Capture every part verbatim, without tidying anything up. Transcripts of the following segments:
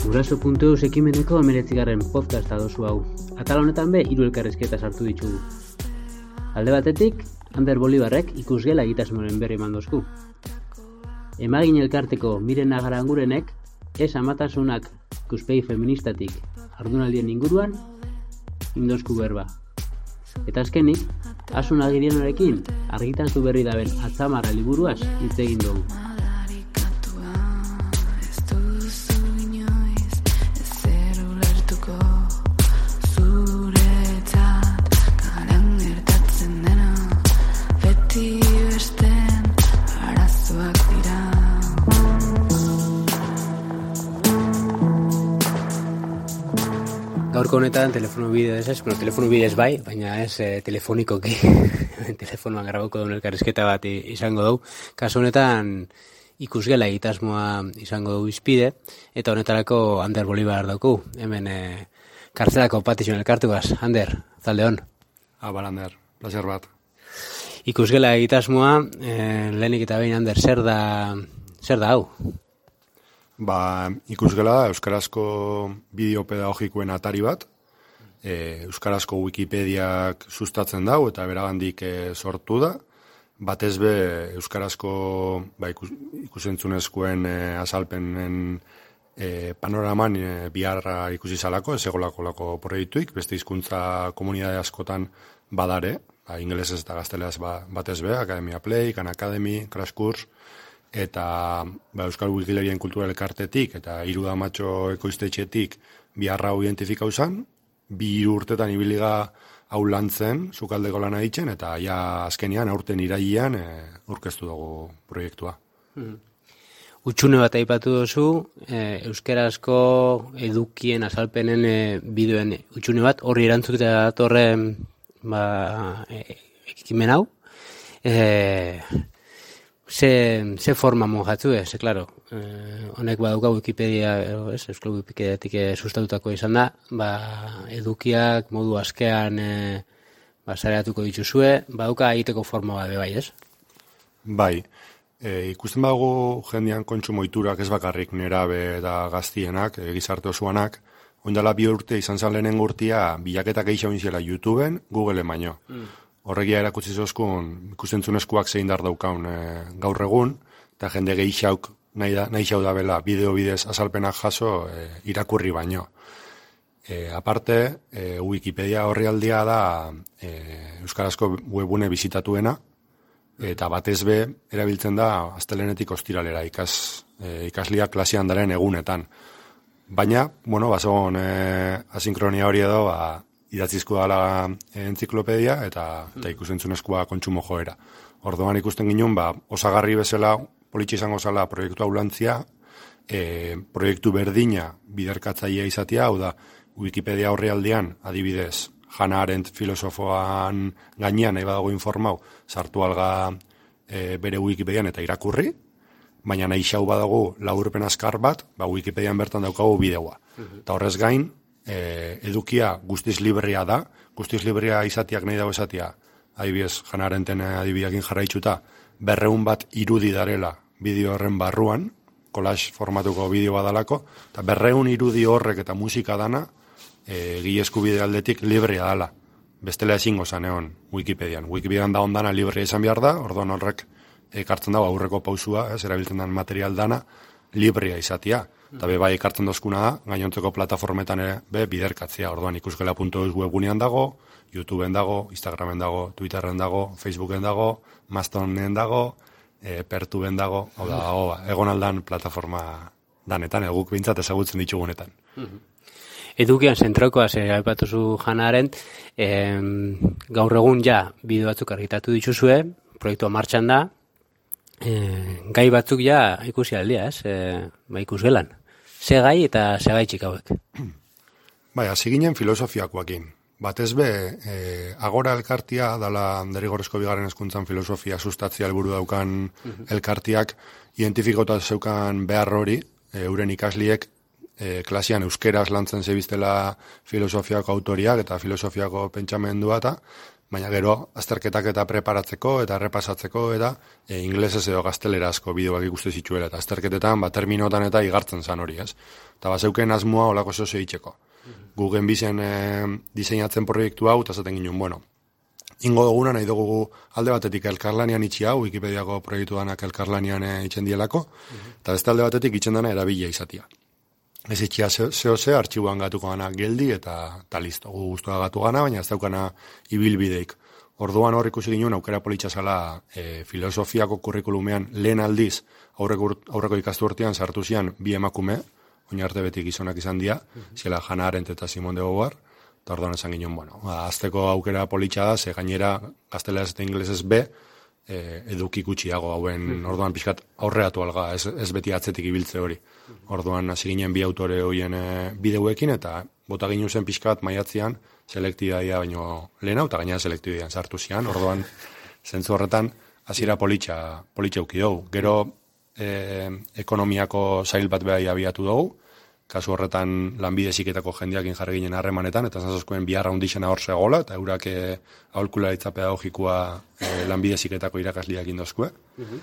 Guraso puntu eus ekimeneko hemeretzigarren podcasta dozu hau. Atal honetan be, hiru elkarrizketa sartu ditugu. Alde batetik, Ander Bolibarrek ikusgela egitasmoren berri eman dozku. Emagin elkarteko Miren Agarangurenek, ez amatasunak ikuspegi feministatik ardunaldien inguruan, indozku berba. Eta azkenik, Asun Agirianorekin argitatu berri daben Atzamarra liburuaz hitz egin dugu. Gaurko honetan telefono bidez ez, bueno, telefono bidez bai, baina ez eh, telefonikoki, telefonoan grabauko daun elkarrizketa bat izango dugu. Kasu honetan ikusgela egitasmoa izango dugu izpide, eta honetarako Ander Bolibar dauku, hemen eh, kartzelako patizioen elkartuaz. Ander, zalde hon? Abal, Ander, placer bat. Ikusgela egitasmoa, eh, lehenik eta behin, Ander, zer da, zer da hau? Ba, ikusgela euskarazko bideo pedagogikoen atari bat, e, euskarazko Wikipediak sustatzen dau eta beragandik e, sortu da, batez be euskarazko ba, ikus, ikusentzunezkoen e, azalpenen e, panoraman e, biharra ikusi zalako, ez egolako lako proiektuik, beste hizkuntza komunidade askotan badare, ba, ingelesez eta gazteleaz ba, batez be, Academia Play, Khan Academy, Crash Course, eta ba, Euskal Wikilarien kultura elkartetik eta hiru damatxo ekoiztetxetik biharra hau identifikau zan, bi hiru urtetan ibiliga hau lantzen, sukaldeko lana ditzen, eta ja azkenean aurten irailean e, aurkeztu dugu proiektua. Hmm. Utxune bat aipatu duzu, e, euskerazko edukien azalpenen e, bideoen utxune bat, horri erantzutea datorren ba, e, ekimen hau, e, Ze, ze forma mojatzu ez, klaro, eh, honek badauka Wikipedia, ez, Euskal Wikipediatik sustatutako izan da, ba, edukiak modu askean eh, ba, sareatuko dituzue, badauka egiteko forma bat bai, ez? Bai, e, ikusten badugu jendean kontsumo ohiturak ez bakarrik nerabe eta gaztienak, e, gizarte osoanak, oindala bi urte izan zan lehenen urtia bilaketak eixaun zela YouTubeen, Googleen baino. Mm. Horregia erakutsi zozkun ikustentzunezkoak zein dar daukaun e, gaur egun, eta jende gehixauk nahi, da, nahi xau da bela bideo bidez azalpenak jaso e, irakurri baino. E, aparte, e, Wikipedia horrialdia da e, euskarazko webune bizitatuena, eta batez be erabiltzen da astelenetik ostiralera ikas, e, ikasliak klasian daren egunetan. Baina, bueno, bazogon e, asinkronia hori edo, ba, idatzizko dala entziklopedia eta, eta ikusentzunezkoa kontsumo joera. Orduan ikusten ginen, ba, osagarri bezala, politxe izango zala proiektu hau lantzia, e, proiektu berdina biderkatzailea izatea, hau da, Wikipedia horrialdean, adibidez, Hannah Arendt filosofoan gainean, nahi badago informau, sartu alga e, bere Wikipedian eta irakurri, baina nahi xau badago laburpen askar bat, ba, Wikipedian bertan daukagu bideoa. Eta horrez gain, E, edukia guztiz librea da, guztiz librea izatiak nahi dago esatia, adibidez, Hannah Arendten adibideakin jarraitzuta, berreun bat irudi darela bideo horren barruan, collage formatuko bideo badalako, eta berreun irudi horrek eta musika dana, e, gilesku bide aldetik librea dala. Bestela ezingo zan egon Wikipedian. Wikipedian da ondana librea izan behar da, orduan horrek ekartzen dago aurreko pausua, ez, erabiltzen den material dana, librea izatia. Eta be bai ekartzen dozkuna da, gainontzeko plataformetan ere be biderkatzea. Orduan ikusgela puntu eus webgunean dago, YouTubeen dago, Instagramen dago, Twitterren dago, Facebooken dago, Mastonen dago, e, Pertuben dago, hau da, hau, egon aldan plataforma danetan, eguk bintzat ezagutzen ditugunetan. Edukian zentrokoaz eh, aipatuzu Hannah Arendt, eh, gaur egun ja bideo batzuk argitatu dituzue, proiektua martxan da, eh, gai batzuk ja ikusi aldia, ez? Eh, ba ikusgelan. Ze gai eta ze gai txikauek. Bai, hasi ginen filosofiakoakin. Batez be, e, agora elkartia, dala derrigorrezko bigarren hezkuntzan filosofia sustatzea helburu daukan uh-huh. elkartiak, identifikota zeukan behar hori, e, euren ikasliek, e, klasian euskeraz lantzen zebiztela filosofiako autoriak eta filosofiako pentsamendua eta baina gero azterketak eta preparatzeko eta errepasatzeko eta e, inglesez edo gaztelerazko bideoak ikuste zituela, eta azterketetan, ba, terminotan eta igartzen zan hori, ez? Eta bazeuken asmoa olako zozo egiteko. Gugen bizen e, diseinatzen proiektu hau, eta zaten ginen, bueno, ingo duguna nahi dugu alde batetik elkarlanian itxi hau, Wikipediako proiektu danak elkarlanian e, itxen dielako, eta beste alde batetik itxen dana erabila izatia. Ez itxia zeo ze, artxibuan gatuko gana geldi, eta, eta listo, gu guztua gatu gana, baina ez daukana ibilbideik. Orduan hor ikusi ginen aukera politxa zala e, filosofiako kurrikulumean lehen aldiz aurreko, aurreko ikastu urtean sartu zian bi emakume, oin arte beti gizonak izan dira, mm-hmm. zela Hannah Arendt eta Simone de Beauvoir, eta orduan esan ginen, bueno, azteko aukera politxa da, ze gainera gazteleraz eta inglesez be, e, eduki gutxiago hauen, mm-hmm. orduan pixkat aurreatu alga, ez, ez beti atzetik ibiltze hori. Mm-hmm. Orduan hasi ginen bi autore horien e, bideuekin, eta bota ginen zen pixkat maiatzean, selektidadia baino lehena, eta gainera selektidian sartu zian, orduan zentzu horretan hasiera politxa, politxa uki dugu. Gero e, ekonomiako zail bat behar abiatu dugu, kasu horretan lanbide ziketako jendeakin jarri ginen harremanetan, eta zantzazkoen biharra hundixena hor zegoela, eta eurak e, aholkularitza pedagogikoa e, lanbide ziketako irakasliak indozkue. Uh-huh.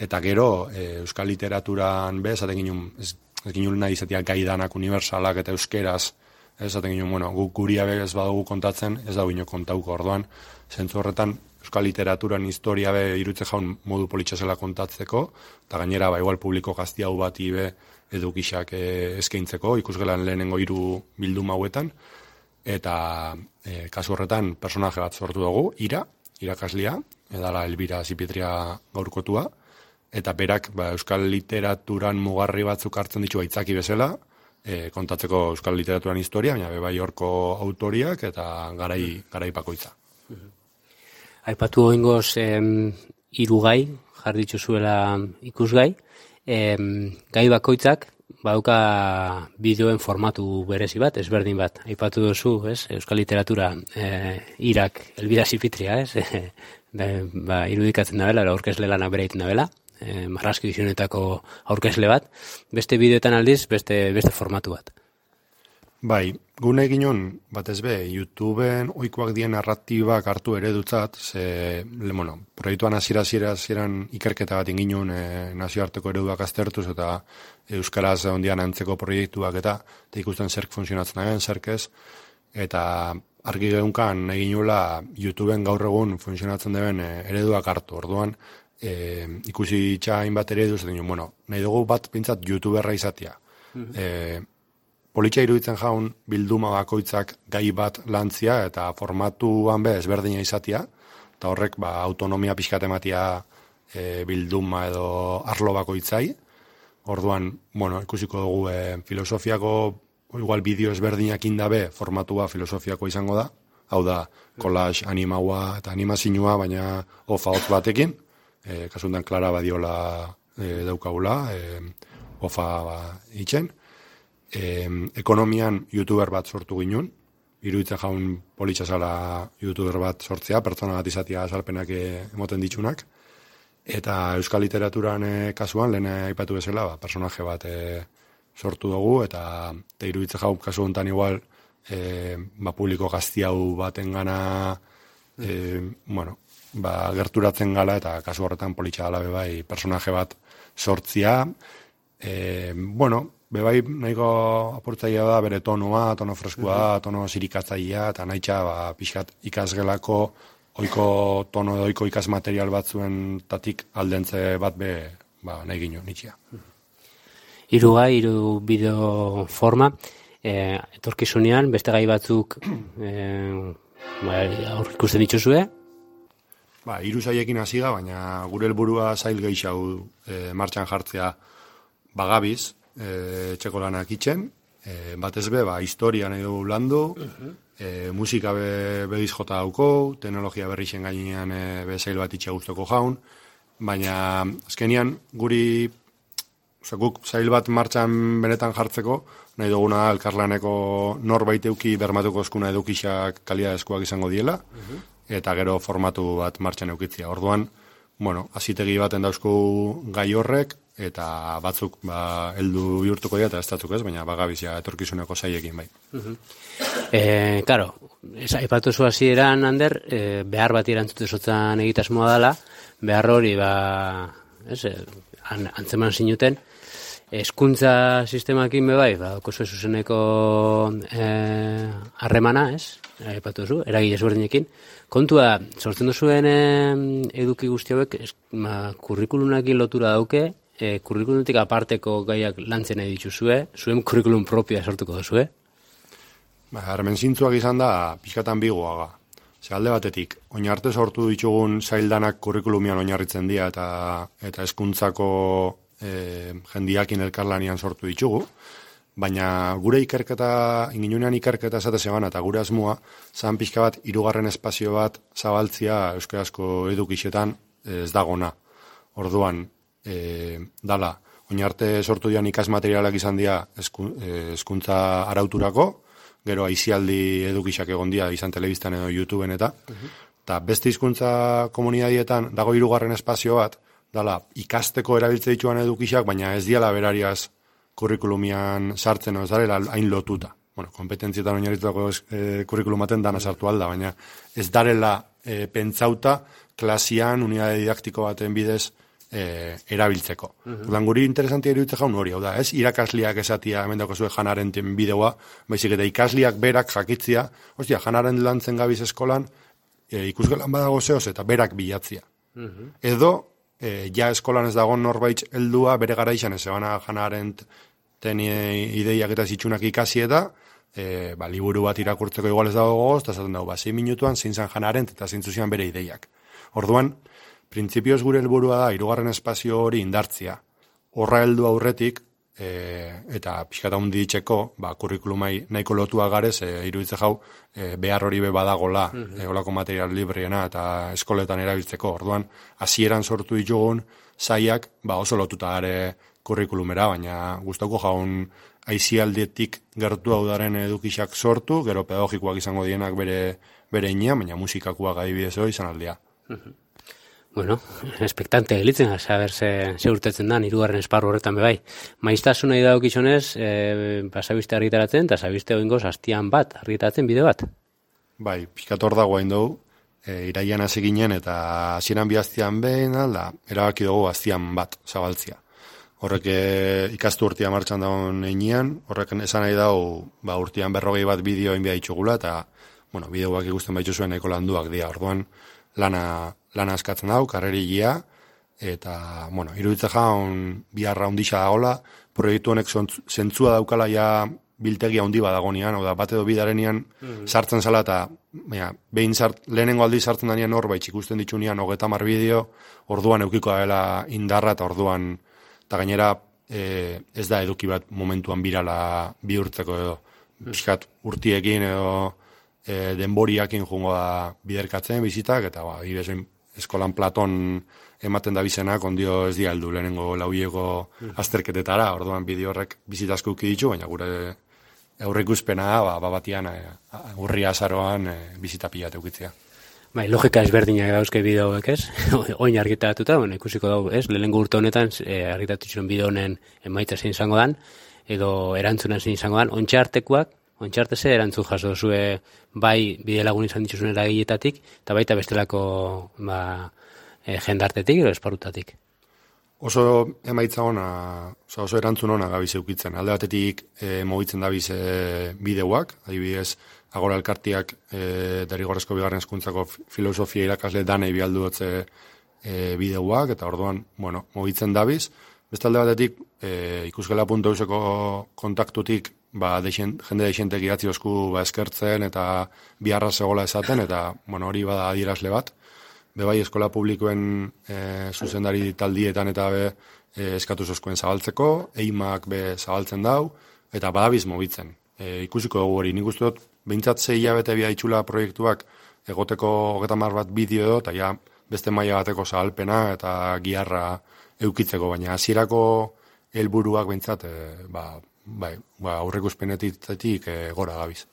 Eta gero, e, euskal literaturan be, esaten ginen, ez, ez ginen nahi izatea gaidanak universalak eta euskeraz, esaten ginen, bueno, gu, guria be ez badugu kontatzen, ez da gino kontauko orduan, zentzu horretan, euskal literaturan historia be irutze jaun modu politxasela kontatzeko, eta gainera, ba, igual publiko gazti hau bati be, edukixak e, eskaintzeko, ikusgelan lehenengo hiru bilduma hauetan, eta e, kasu horretan personaje bat sortu dugu, Ira, irakaslia, edala Elbira Zipitria gaurkotua, eta berak ba, euskal literaturan mugarri batzuk hartzen ditu aitzaki bezala, e, kontatzeko euskal literaturan historia, baina bebai horko autoriak eta garai, garai bakoitza. Aipatu goingoz hiru gai, jarditzu zuela ikusgai, Em, gai bakoitzak bauka bideoen formatu berezi bat, ezberdin bat. Aipatu duzu, ez? Euskal literatura e, Irak, Elbira Zipitria, ez? E, ba, irudikatzen dabela, aurkezle lana bere egiten dabela, e, Marrazki Edizionetako aurkezle bat, beste bideoetan aldiz, beste, beste formatu bat. Bai, gune eginon, batez be, YouTubeen oikoak dien narratibak hartu eredutzat, ze, le, bueno, proiektuan hasiera hasieran ikerketa bat inginun e, nazioarteko ereduak aztertuz, eta euskaraz ondian antzeko proiektuak eta, eta ikusten zerk funtzionatzen agen, zerk ez, eta argi geunkan eginula YouTubeen gaur egun funtzionatzen deben e, ereduak hartu, orduan, e, ikusi txain bat ereduz, eta ginen, bueno, nahi dugu bat pintzat YouTuberra izatea. Mm-hmm. E, Politxa iruditzen jaun bilduma bakoitzak gai bat lantzia eta formatuan be ezberdina izatia, eta horrek ba, autonomia pixkat ematia e, bilduma edo arlo bakoitzai. Orduan, bueno, ikusiko dugu e, filosofiako, igual bideo ezberdinak indabe formatua filosofiako izango da, hau da, collage animaua eta animazinua, baina ofa hotz batekin, e, kasuntan Klara Badiola e, daukagula, e, ofa ba, itxen. E, ekonomian YouTuber bat sortu ginen, iruditzen jaun politxasala YouTuber bat sortzea, pertsona bat izatea azalpenak emoten ditsunak, eta euskal literaturan e, kasuan, lehen aipatu bezala, ba, personaje bat e, sortu dugu, eta, eta iruditzen jaun kasu honetan igual, e, ba, publiko gazti hau baten gana, e, bueno, ba, gerturatzen gala, eta kasu horretan politxasala bebai personaje bat sortzia, e, bueno, bebai nahiko apurtzaia da bere tonoa, tono freskua, uh-huh. tono zirikatzaia, eta nahitxa ba, pixkat ikasgelako oiko tono edo oiko ikasmaterial batzuen tatik aldentze bat be ba, nahi gino, nitxia. Hiru gai, hiru bideo forma, e, etorkizunean, beste gai batzuk e, ba, aur ikusten dituzue? Ba, hiru zaiekin hasi da, baina gure helburua zail gehiago e, martxan jartzea bagabiz, E, txeko lanak itxen, e, batez be, ba, historia nahi dugu landu, uh-huh. e, musika be, begiz jota dauko, teknologia berri zen gainean e, bezail bat itxe guztoko jaun, baina azkenian guri, oza, guk zail bat martxan benetan jartzeko, nahi duguna elkarlaneko norbait euki bermatuko eskuna edukixak kalidadezkoak izango diela, uh-huh. eta gero formatu bat martxan eukitzia. Orduan, bueno, azitegi baten dauzku gai horrek, eta batzuk ba, heldu bihurtuko dira eta ez datzuk ez, baina bagabizia etorkizuneko saiekin bai. Uh-huh. E, claro, aipatu zu hasieran, Ander, e, behar bat erantzute sotzan egitasmoa dela, behar hori, ba, ez, an, antzeman zinuten, hezkuntza sistemakin be bai, ba, okoso zuzeneko harremana, e, ez, aipatu zu, eragile ezberdinekin, kontua, sortzen duzuen e, eduki guzti hauek, ma, kurrikulunakin lotura dauke, e, kurrikulunetik aparteko gaiak lantzen nahi dituzue, zuen kurrikulum propioa sortuko duzue? Ba, harmen zintzuak izan da, pixkatan bigoaga. Ze alde batetik, oin arte sortu ditugun zaildanak kurrikulumian oinarritzen dira eta eta hezkuntzako e, jendiakin elkarlanian sortu ditugu, baina gure ikerketa, inginunean ikerketa esate zeban, eta gure asmoa, zan pixka bat, hirugarren espazio bat zabaltzia euskarazko edukixetan ez dagona. Orduan, e, dala, oin arte sortu dian ikasmaterialak izan dira hezkuntza arauturako, gero aizialdi edukixak egon dira izan telebistan edo YouTubeen eta, eta uh-huh. beste hizkuntza komunidadietan dago hirugarren espazio bat, dala, ikasteko erabiltze dituan edukixak, baina ez diala berariaz kurrikulumian sartzen, ez darela hain lotuta. Bueno, kompetentzietan oinarritutako e, kurrikulumaten dana sartu alda, baina ez darela e, pentsauta klasian unidade didaktiko baten bidez e, erabiltzeko. Uh-huh. Udan guri interesantia iruditze jaun hori, hau da, ez? Irakasliak esatia, hemen dauko zuen Janaren bideoa, baizik eta ikasliak berak jakitzia, ostia, Janaren lantzen gabiz eskolan, e, ikusgelan badago zehoz eta berak bilatzia. Uh-huh. Edo, e, ja eskolan ez dago norbait heldua bere gara izan, ez ebana Janaren ten ideiak eta zitsunak ikasi eta, e, ba, liburu bat irakurtzeko igual ez dago gogoz, eta zaten dago, ba, zein minutuan zein zan Janaren eta zein zuzian bere ideiak. Orduan, printzipioz gure helburua da, hirugarren espazio hori indartzia. Horra heldu aurretik, e, eta pixkata hundi ditxeko, ba, kurrikulumai nahiko lotua garez, e, iruditze jau, e, behar hori be badagola, mm-hmm. e, olako material libriena, eta eskoletan erabiltzeko. Orduan, hasieran sortu ditugun, zaiak, ba, oso lotuta gare kurrikulumera, baina gustauko jaun aizialdietik gertu hau daren edukixak sortu, gero pedagogikoak izango dienak bere, bere inia, baina musikakoak adibidez hori izan aldea. Mm-hmm. Bueno, espektante gelitzen, a saber ze, ze urtetzen dan, hirugarren esparru horretan bebai. Maiztasun nahi dago kizonez, e, pasabiste argitaratzen, eta sabiste oingoz hastian bat, argitaratzen bide bat. Bai, pixkator dago hain dugu, e, iraian hasi ginen, eta hasieran bi hastian behin, alda, erabaki dugu hastian bat, zabaltzia. Horrek e, ikastu urtia martxan dagoen einean, horrek esan nahi dago, ba, urtian berrogei bat bideo inbia ditugula, eta, bueno, bideoak ikusten baitu zuen nahiko landuak dira, orduan, lana, lana askatzen dau, karrerigia, eta, bueno, iruditza jaun biharra hundixa dagola, proiektu honek zentzua daukala ja biltegia hundi badagonian, oda bat edo bidarenean mm-hmm. sartzen zala, eta baina, behin zart, lehenengo aldi sartzen danean norbait ikusten ditunian hogeta mar bideo, orduan eukiko dela indarra, eta orduan, eta gainera e, ez da eduki bat momentuan birala bihurtzeko edo, pixkat urtiekin edo, E, denboriakin jungo da biderkatzen bizitak, eta ba, ibezen eskolan Platon ematen da bizenak, ondio ez di aldu lehenengo lauiego azterketetara, orduan bideo horrek bizitazko uki ditu, baina gure aurreikuspena ba, babatian e, urria azaroan e, bizita pilate ukitzea. Bai, logika ezberdinak dauzke bideo hauek, ez? Oin argitaratuta, bueno, ikusiko dugu, ez? Lehenengo urte honetan e, argitatu ziren bideo honen emaitza zein izango dan, edo erantzunan zein izango dan, ontsa artekoak, ontsa ze erantzun jaso zue bai bide lagun izan dituzun eragiletatik, eta baita bestelako ba, e, jendartetik edo esparrutatik. Oso emaitza ona, oso erantzun ona gabiz eukitzen. Alde batetik e, mogitzen dabiz e, bideoak, adibidez, Agora elkartiak e, derrigorrezko bigarren hezkuntzako filosofia irakasle danei bialdu dutze e, bideoak, eta orduan, bueno, mogitzen dabiz. Beste alde batetik, e, ikusgela puntu euseko kontaktutik, ba, deixen, jende deixentek idatzi osku ba, eskertzen eta biharra zegoela esaten, eta bueno, hori bada adierazle bat. Bebai eskola publikoen e, zuzendari taldietan eta be e, eskatu zoskuen zabaltzeko, eimak be zabaltzen dau, eta badabiz mobitzen. E, ikusiko dugu hori, nik uste dut, behintzat zei hilabete bia itxula proiektuak egoteko hogeita hamar bat bideo, eta ja beste maila bateko zabalpena eta giharra eukitzeko, baina hasierako helburuak behintzat, e, ba, bai, ba, aurreikuspenetik e, gora gabiz.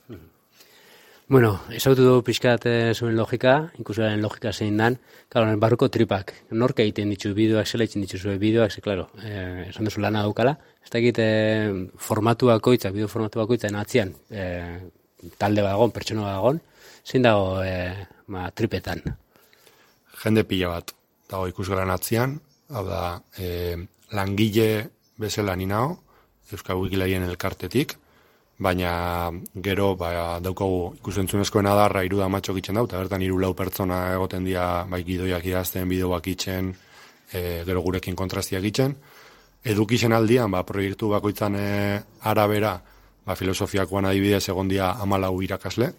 Bueno, ezautu du pixkat zuen logika, ikusaren logika zein dan, claro, barruko tripak, nork egiten ditu bideoak, zela egiten ditu zuen bideoak, ze, claro, eh, esan duzu lana daukala, ez da egite formatu bakoitzak, bideo formatu bakoitzak atzian, eh, talde bagon, pertsona bagon, zein dago eh, ma, tripetan? Jende pila bat, dago ikusgaran atzian, hau da, eh, langile bezala ninao, Euskal Wikilarien elkartetik, baina gero ba, daukagu ikusentzunezkoen adarra hiru damatxok itzen dau, eta bertan hiru lau pertsona egoten dira bai gidoiak idazten, bideoak itzen, e, gero gurekin kontrastiak itzen. Edukisen aldian, ba, proiektu bakoitzan e, arabera, ba, filosofiakoan adibidez egon dira hamalau irakasle,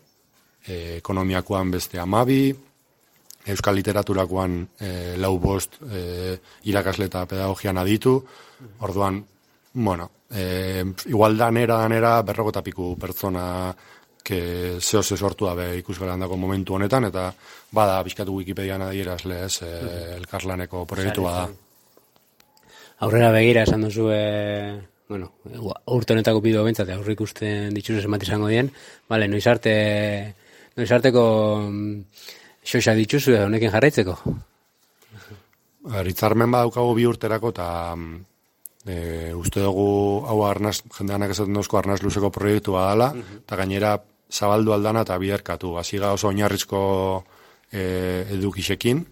e, ekonomiakoan beste hamabi, euskal literaturakoan e, lau bost e, irakasle eta pedagogian aditu, orduan, bueno, eh, igual danera, danera, berrogota piku pertsona que zeo ze sortu dabe ikusgaran dago momentu honetan, eta bada, bizkatu Wikipedian adierazle, ez, eh, elkarlaneko proiektua da. Aurrera begira esan duzu, e, bueno, urte honetako bideo bentsat, aurrik ikusten dituzuz emat izango dien, vale, noiz arte, noiz arteko xoxa dituzu honekin jarraitzeko? Ritzarmen badaukago bi urterako, eta E, uste dugu hau arnaz, jendeanak esaten duzko arnaz luzeko proiektua dela, eta gainera zabaldu aldana eta biderkatu. Hasiga oso oinarrizko e, edukisekin,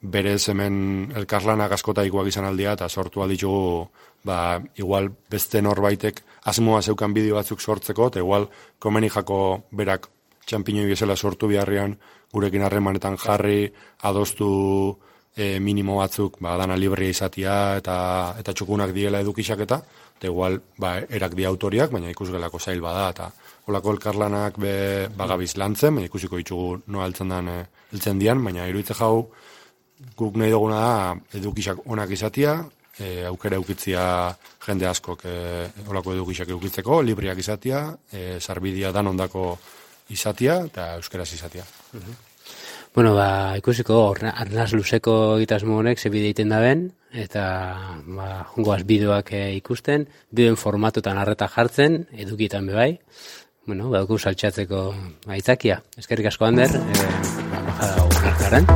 berez hemen elkarlanak askotaikoak izan aldia, eta sortu alditugu, ba, igual beste norbaitek asmoa zeukan bideo batzuk sortzeko, eta igual komeni jako berak txampiñoi bezala sortu biharrian, gurekin harremanetan jarri, adostu E, minimo batzuk, ba, dana librea izatia eta eta txukunak diela edukisak eta, eta igual, ba, erak di autoriak, baina ikusgelako zail bada, eta holako elkarlanak be, bagabiz lantzen, baina ikusiko ditugu noa altzen dan, e, eltzen dian, baina iruitze jau, guk nahi duguna da, edukisak onak izatia, e, aukera eukitzia jende askok e, holako edukisak eukitzeko, libreak izatia, e, sarbidia dan ondako izatia, eta euskeraz izatia. Uh-huh. Bueno, ba, ikusiko, arnaz luzeko egitasmo honek ze bide egiten da ben, eta ba, jungoaz bideoak e, ikusten, bideoen formatutan arreta jartzen, edukietan bebai, bueno, badugu saltxatzeko aitzakia. Eskerrik asko, Ander, e, ba, bajada unarkarren.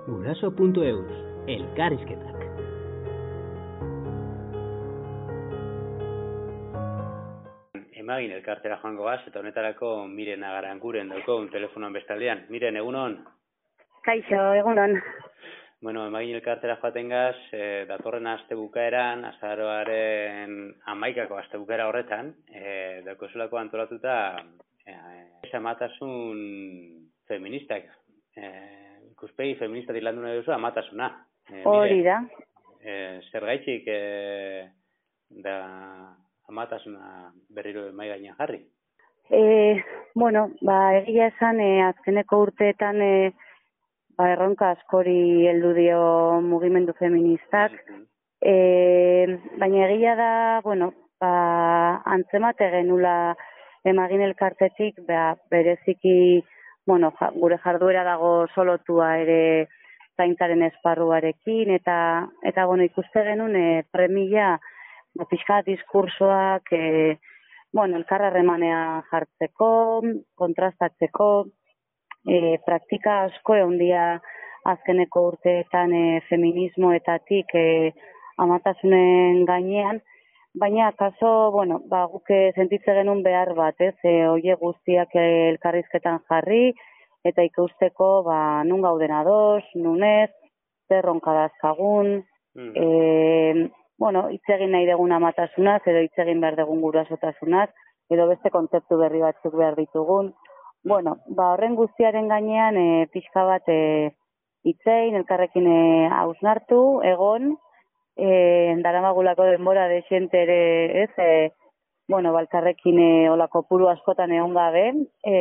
Guraso puntu eus, elkarrizketak. Emagin elkartera joango gaz, eta honetarako Miren Agaranguren dauko telefonoan bestaldean. Miren, egunon? Kaixo, egunon. Bueno, Emagin elkartera joaten gaz, e, datorren aste bukaeran, azaroaren hamaikako aste bukaera horretan, e, dauko zulako antolatuta e, amatasun feministak. E, ikuspegi feminista dilandu nahi duzu, amatasuna. E, Hori da. E, zer gaitxik e, da amatasuna berriro mai gainean jarri? E, bueno, ba, egia esan, e, azkeneko urteetan e, ba, erronka askori heldu dio mugimendu feministak. E, baina egia da, bueno, ba, antzemate genula Emagin elkartetik, ba, bereziki, bueno, ja, gure jarduera dago solotua ere zaintzaren esparruarekin, eta, eta bueno, ikuste genuen e, premia, ba, pixka diskursoak, e, bueno, elkarrarremanean jartzeko, kontrastatzeko, e, praktika asko egon dira azkeneko urteetan e, feminismoetatik e, amatasunen gainean, baina kaso, bueno, ba, guke sentitze genuen behar bat, ez, e, oie guztiak elkarrizketan jarri, eta ikusteko, ba, nun gauden ados, nun ez, zer ronka dazkagun, mm. e, bueno, hitz egin nahi dugun amatasunaz, edo hitz egin behar dugun gurasotasunaz, edo beste kontzeptu berri batzuk behar ditugun. Bueno, ba, horren guztiaren gainean, e, pixka bat e, hitzein, elkarrekin e, hausnartu, egon, e, daramagulako denbora de xente ere, ez, e, bueno, balkarrekin e, olako puru askotan egon gabe, e,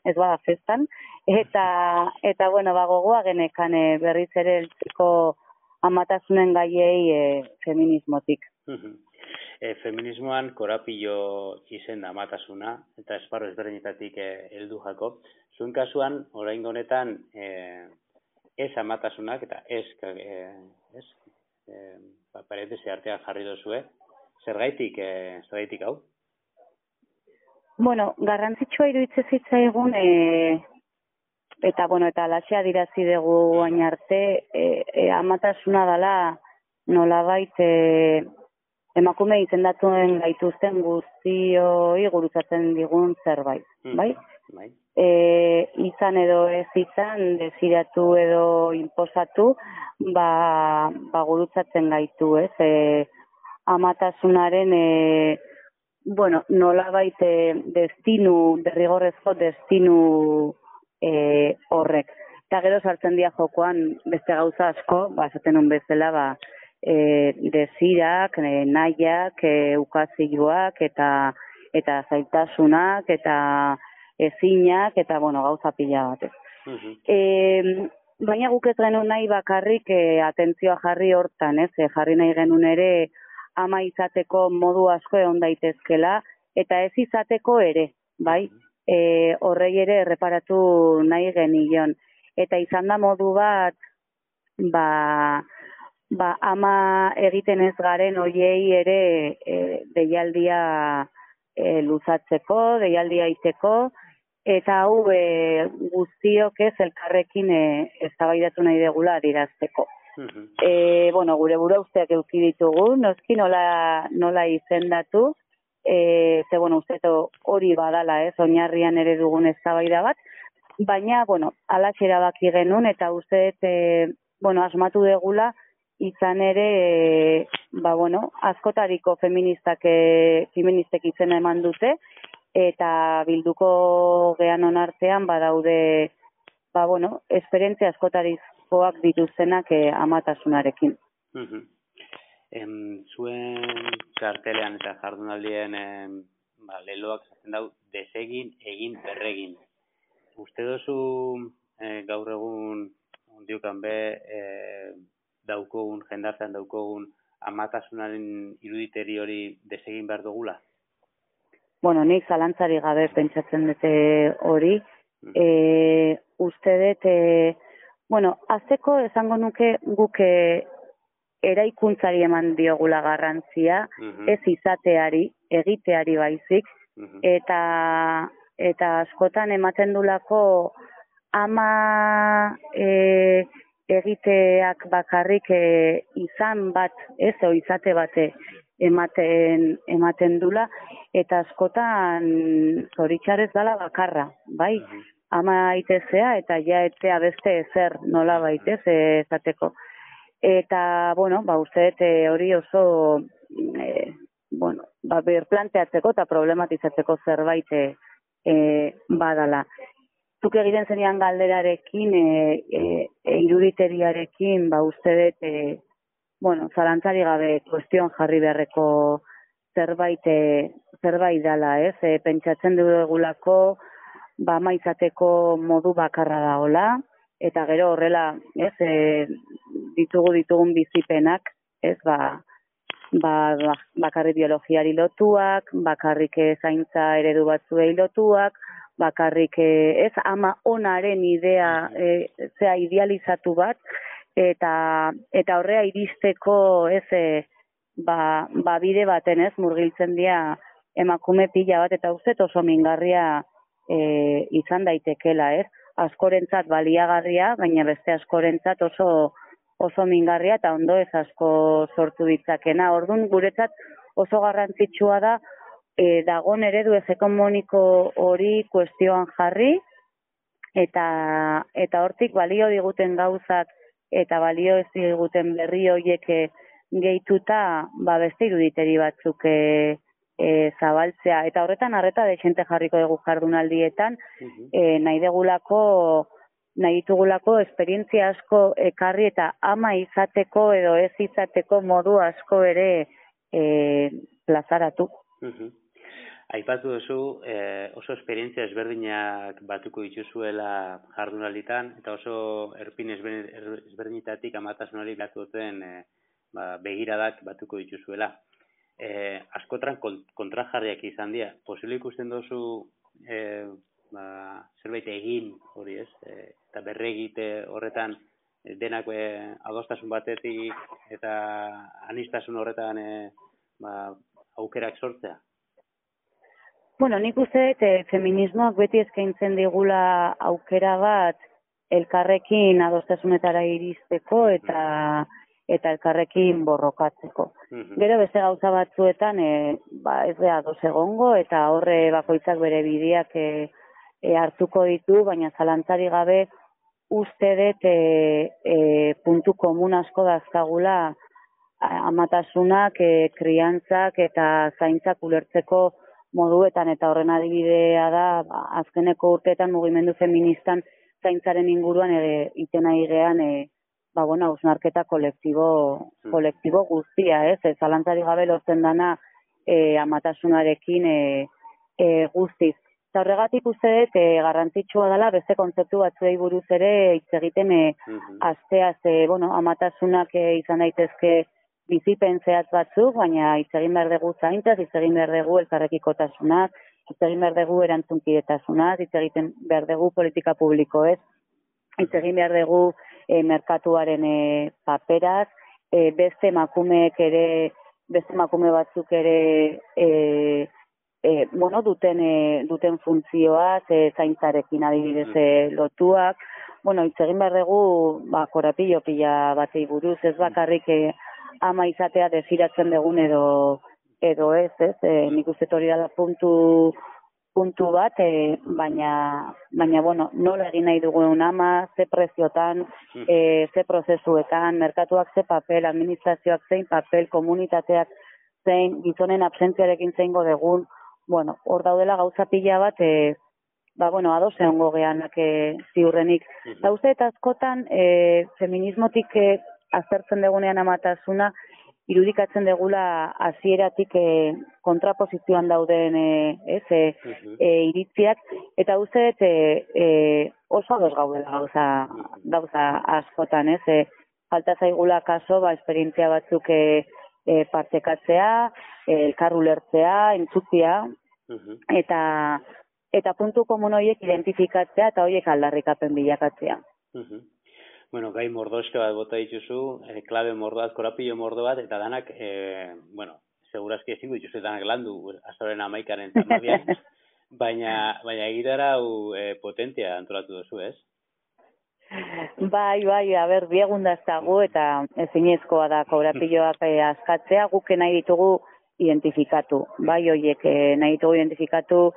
ez bada festan, eta, eta bueno, ba, gogoa genekan e, berriz ere eltziko amatasunen gaiei e, feminismotik. E, feminismoan korapillo izen da amatasuna, eta esparro ezberdinetatik e, heldu jako. Zuen kasuan, orain honetan, e, ez amatasunak, eta ez, e, ez, e, ba, parentesi artean jarri dozue, zergaitik, e, zergaitik hau? Bueno, garrantzitsua iruditzen zitzaigun, e, eta, bueno, eta alaxe adirazi dugu hain arte, e, e, amatasuna dela nolabait e, emakume izendatuen gaituzten guztioi gurutzatzen digun zerbait, mm. bai? bai? E, izan edo ez izan, desiratu edo inposatu, ba, ba gurutzatzen gaitu, ez? E, amatasunaren, e, bueno, nolabait e, destinu, derrigorrezko destinu e, horrek. Eta gero sartzen dira jokoan beste gauza asko, ba, esaten un bezala, ba, e, desirak, e, nahiak, e, ukazioak, eta, eta zaitasunak, eta ezinak, eta, bueno, gauza pila batez. Uh-huh. E, baina guk ez genuen nahi bakarrik e, atentzioa jarri hortan, ez? E, jarri nahi genuen ere ama izateko modu asko egon daitezkela, eta ez izateko ere, bai? E, horrei ere erreparatu nahi genion. Eta izan da modu bat, ba, ba ama egiten ez garen hoiei ere e, deialdia e, luzatzeko, deialdia iteko, eta hau e, guztiok ez elkarrekin e, eztabaidatu nahi degula adirazteko. Uh-huh. E, bueno, gure bura usteak euki ditugu, noski nola, nola izendatu, e, ze, bueno, usteto hori badala, ez, oinarrian ere dugun eztabaida bat, baina, bueno, alaxe erabaki genuen, eta uste, e, bueno, asmatu degula, izan ere, e, ba, bueno, askotariko feministak, e, feministek izena eman dute, eta bilduko gean onartean, badaude, ba, bueno, esperientzia askotarikoak dituztenak e, amatasunarekin. Uh-huh. Em, zuen kartelean eta jardunaldien em, ba, leloak zaten dau, desegin, egin, berregin. Uste dozu e, gaur egun ondiukan be e, daukogun, jendartean daukogun amatasunaren iruditeri hori desegin behar dugula? Bueno, nik zalantzari gabe pentsatzen dute hori. E, uste dut, e, bueno, azteko esango nuke guk eraikuntzari eman diogula garrantzia, uh-huh. ez izateari, egiteari baizik, uh-huh. eta, eta askotan ematen dulako ama e, egiteak bakarrik e, izan bat, ez, o izate bate ematen, ematen dula, eta askotan zoritxarrez dala bakarra, bai? Uh-huh. Ama itezea eta ja etzea beste ezer nola baitez ezateko. Eta, bueno, ba, uste hori oso, e, bueno, ba, berplanteatzeko eta problematizatzeko zerbait e, e, badala. Zuk egiten zenian galderarekin, e, e, e, iruditeriarekin, ba, uste dut, e, bueno, zalantzari gabe kuestion jarri beharreko zerbait, e, zerbait dala, ez? E, pentsatzen dugulako, ba, maizateko modu bakarra daola, eta gero horrela, ez, e, ditugu ditugun bizipenak, ez, ba, ba, bakarrik biologiari lotuak, bakarrik zaintza eredu batzuei lotuak, bakarrik, ez, ama onaren idea, e, zea idealizatu bat, eta eta horrea iristeko ez e, ba, ba bide baten ez murgiltzen dira emakume pila bat, eta uste oso mingarria e, izan daitekela, ez? Askorentzat baliagarria, baina beste askorentzat oso oso mingarria eta ondo ez asko sortu ditzakena. Orduan guretzat oso garrantzitsua da e, dagon eredu hegemoniko hori kuestioan jarri, eta eta hortik balio diguten gauzak eta balio ez diguten berri horiek gehituta ba beste iruditeri batzuk e, e, zabaltzea, eta horretan arreta dexente jarriko dugu jardunaldietan, e, nahi degulako nahi ditugulako esperientzia asko ekarri eta ama izateko edo ez izateko modu asko ere e, plazaratu. Uh-huh. Aipatu duzu eh, oso esperientzia ezberdinak batuko dituzuela jardunalditan, eta oso erpin ezberdinetatik amatasunari batu duten eh, ba, begiradak batuko dituzuela. Eh, askotran kontrajarriak izan dira. Posible ikusten duzu eh, ba, zerbait egin hori ez, e, eta berregite horretan e, denak e, adostasun batetik eta anistasun horretan e, ba, aukerak sortzea? Bueno, nik uste e, feminismoak beti eskaintzen digula aukera bat elkarrekin adostasunetara iristeko eta eta elkarrekin borrokatzeko. Uh-huh. Gero beste gauza batzuetan e, ba, ez da ados egongo eta horre bakoitzak bere bideak e, E, hartuko ditu, baina zalantzari gabe uste dut e, e, puntu komun asko dazkagula amatasunak, e, kriantzak eta zaintzak ulertzeko moduetan, eta horren adibidea da ba, azkeneko urteetan mugimendu feministan zaintzaren inguruan ere itena igean e, ba, bueno, hausnarketa kolektibo, kolektibo guztia, ez? E, zalantzari gabe lortzen dana e, amatasunarekin e, e, guztiz. Eta horregatik uste dut, e, garrantzitsua dela beste kontzeptu batzuei buruz ere hitz egiten e, uh-huh. asteaz, e, bueno, amatasunak e, izan daitezke bizipen zehatz batzuk, baina hitz egin behar dugu zaintzaz, hitz egin behar dugu elkarrekikotasunak, hitz egin behar dugu erantzunkidetasunaz, hitz egiten behar dugu politika publikoez, hitz egin behar dugu e, merkatuaren e, paperaz, e, beste emakumeek ere, beste emakume batzuk ere e, E, bueno, duten, e, duten funtzioaz, e, zaintzarekin adibidez e, lotuak. Bueno, hitz egin behar dugu, ba, korapillo pila batei buruz, ez bakarrik e, ama izatea desiratzen dugun edo, edo ez, ez, e, nik uste hori da puntu, puntu bat, e, baina, baina, bueno, nola egin nahi dugun ama, ze preziotan, e, ze prozesuetan, merkatuak ze papel, administrazioak zein papel, komunitateak zein, gizonen absentziarekin zeingo dugun. Bueno, hor daudela gauza pila bat, e, ba, bueno, ados egongo geanak e, ziurrenik. Eta uste eta askotan, e, feminismotik e, aztertzen degunean amatasuna, irudikatzen degula hasieratik e, kontrapozizioan dauden e, ez, e, e, iritziak, eta uste e, e, oso ados gaudela gauza, gauza askotan, ez, e, falta zaigula kaso, ba, esperientzia batzuk e, e, partekatzea, e, elkar ulertzea, entzutzea, uh-huh. eta eta puntu komun horiek identifikatzea eta horiek aldarrikapen bilakatzea. Uh-huh. Bueno, gai mordoske bat bota dituzu, e, klabe mordo bat, korapillo mordo bat, eta danak, e, bueno, segurazki ezingo dituzu danak landu, azoren amaikaren tamabian, baina, baina egitara hau e, potentia antolatu duzu, ez? Bai, bai, a ber, biegun daztagu eta ezinezkoa da korapilloak e, askatzea, guk nahi ditugu identifikatu, bai, horiek e, nahi ditugu identifikatu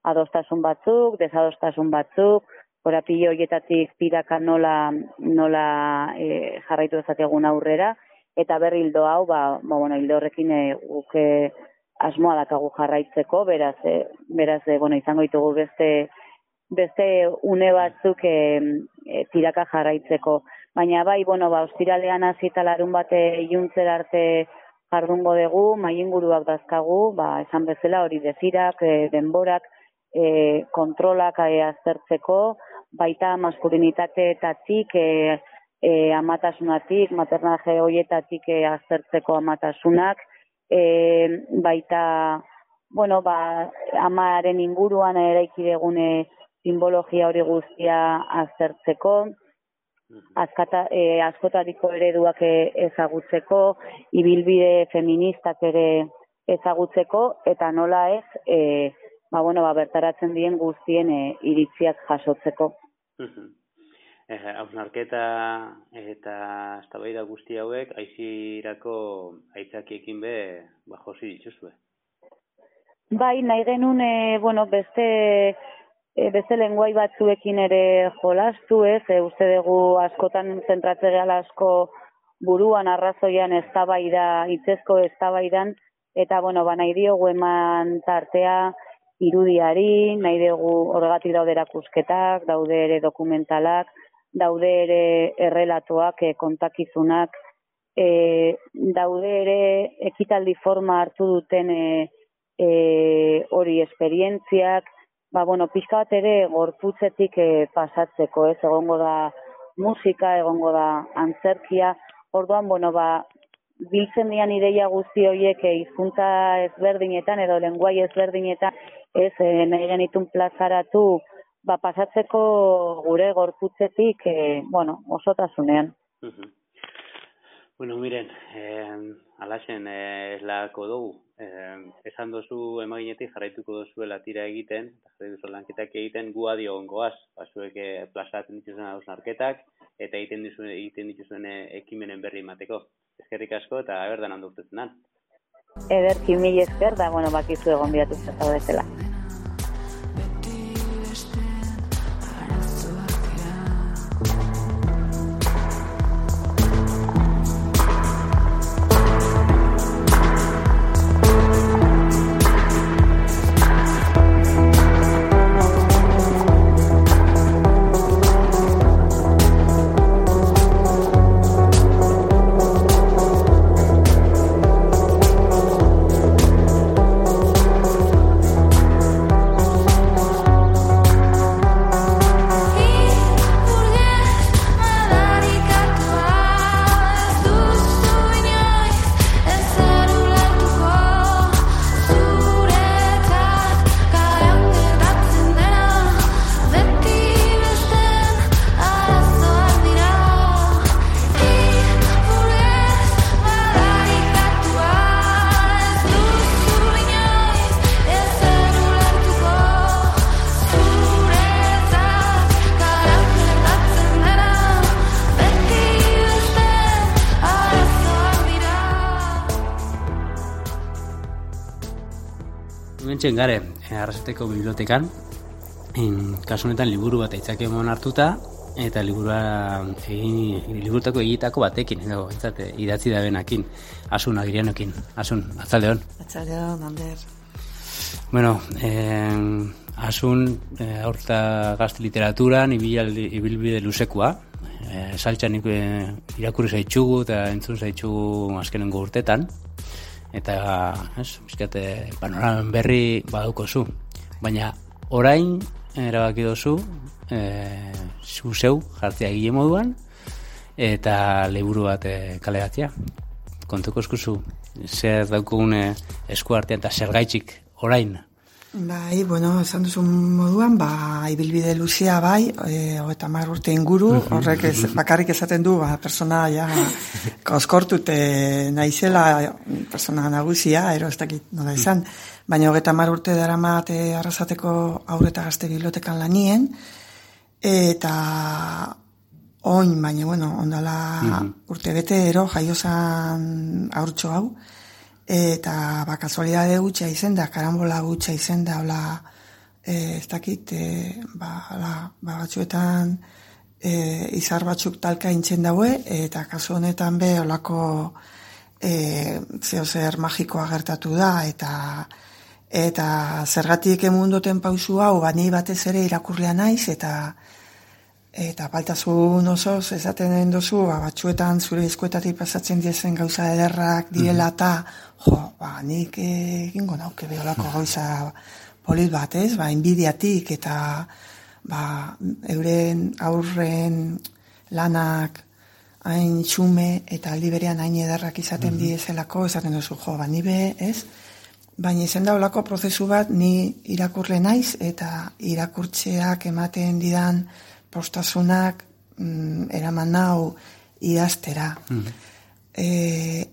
adostasun batzuk, desadostasun batzuk, korapillo horietatik tiraka nola, nola e, jarraitu dezakegun aurrera, eta berri hildo hau, ba, ba bueno, hildo horrekin e, guk e, asmoa dakagu jarraitzeko, beraz, e, beraz, e, bueno, izango ditugu beste, beste une batzuk e, e, tiraka jarraitzeko. Baina bai, bueno, ba, ostiralean hasi eta larun bate iluntzera arte jardungo dugu, maiinguruak dazkagu, ba, esan bezala hori dezirak, e, denborak, e, kontrolak e, aztertzeko, baita maskulinitateetatik, e, e, amatasunatik, maternaje horietatik e, aztertzeko amatasunak, e, baita, bueno, ba, amaren inguruan eraiki degune simbologia hori guztia aztertzeko, askata, e, askotariko ereduak ezagutzeko, ibilbide feministak ere ezagutzeko, eta nola ez, e, ba, bueno, ba, bertaratzen dien guztien e, iritziak jasotzeko. Hausnarketa eta eztabaida guzti hauek aizirako aitzakiekin be ba, josi dituzue. Bai, nahi genuen, e, bueno, beste, e, beste lenguai batzuekin ere jolastu, ez, e, uste dugu askotan zentratze gala asko buruan arrazoian eztabaida, hitzezko eztabaidan, eta, bueno, ba, nahi diogu eman tartea irudiari, nahi dugu horregatik daude erakusketak, daude ere dokumentalak, daude ere errelatoak, e, kontakizunak, e, daude ere ekitaldi forma hartu duten e, e, hori esperientziak, ba, bueno, pixka bat ere gorputzetik e, pasatzeko, ez, egongo da musika, egongo da antzerkia, orduan, bueno, ba, biltzen dian ideia guzti horiek e, hizkuntza ezberdinetan edo lenguai ezberdinetan, ez, e, nahi genitun plazaratu, ba, pasatzeko gure gorputzetik, e, bueno, osotasunean. Uh-huh. Bueno, miren, eh, alaxen eh, eslako dugu. Eh, esan dozu emaginetik jarraituko dozuela tira egiten, eta jarraitu duzu lanketak egiten, gu adio ongoaz, basuek eh, plazatzen dituzuen hausnarketak, eta egiten dituzuen, egiten dituzuen eh, ekimenen berri emateko. Eskerrik asko, eta berdan handa urtetzen dan. Ederki mil esker, da, bueno, bakizu egon bidatu zaudetela. Hementxen gare, Arrasateko bibliotekan, in, kasu honetan liburu bat aitzaki emon hartuta, eta liburua egin, liburutako egitako batekin, edo, entzate, idatzi da benakin, Asun Agirianokin. Asun, atzaldeon. Atzaldeon, Ander. Bueno, eh, Asun, eh, aurta gazte literaturan, ibilbide luzekoa, eh, saltxan eh, irakurri zaitxugu eta entzun zaitxugu azkenengo urtetan, eta, ez, bizkate, panoramen berri baduko zu. Baina, orain, erabaki dozu, e, zu zeu jartzea egile moduan, eta liburu bat e, kaleratzea. Kontuko eskuzu, zer daukugun e, esku artean eta zer gaitxik orain? Bai, bueno, esan duzun moduan, ba, ibilbide luzea bai, e, hogeita hamar urte inguru, horrek ez, bakarrik esaten du, ba, persona ja koskortute naizela, persona nagusia, ero ez dakit nola izan, baina hogeita hamar urte daramat e, Arrasateko Haur eta Gazte Bibliotekan lanien, eta oin, baina, bueno, ondala mm-hmm. urte bete ero jaiozan haurtxo hau, eta ba, kasualidade gutxa izen da, karambola gutxa izen da, hola, e, ez dakit, e, ba, la, ba, batzuetan e, izar batzuk talka intzen daue, eta kasu honetan be, holako e, zeo zer magikoa gertatu da, eta eta zergatik emundoten pausu hau, bani batez ere irakurlea naiz, eta eta baltasun osoz esaten dozu, ba, batzuetan zure eskuetatik pasatzen diezen gauza ederrak direla eta, jo, ba, nik egingo nauke beholako gauza polit bat, ez? Ba, inbidiatik eta ba, euren aurren lanak hain txume eta aldi berean hain ederrak izaten mm-hmm. diezelako, esaten dozu, jo, ba, nibe, ez? Baina izan da olako prozesu bat ni irakurle naiz eta irakurtzeak ematen didan postasunak mm, eraman nau idaztera. Mm. E,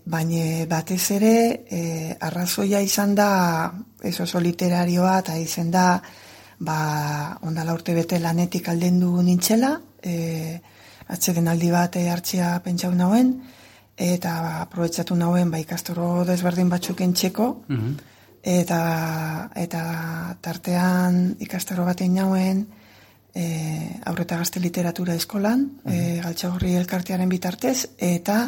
baina batez ere e, arrazoia izan da ez oso literarioa eta izan da ba, ondala urte bete lanetik aldendu nintzela, e, atzeden aldi bat hartzea pentsau nauen, eta ba, aprobetsatu nauen ba, ikastoro desberdin batzuk entxeko, mm-hmm. eta, eta tartean ikastaro baten nauen e, aurreta gazte literatura eskolan, mm-hmm. e, Galtzagorri elkartearen bitartez, eta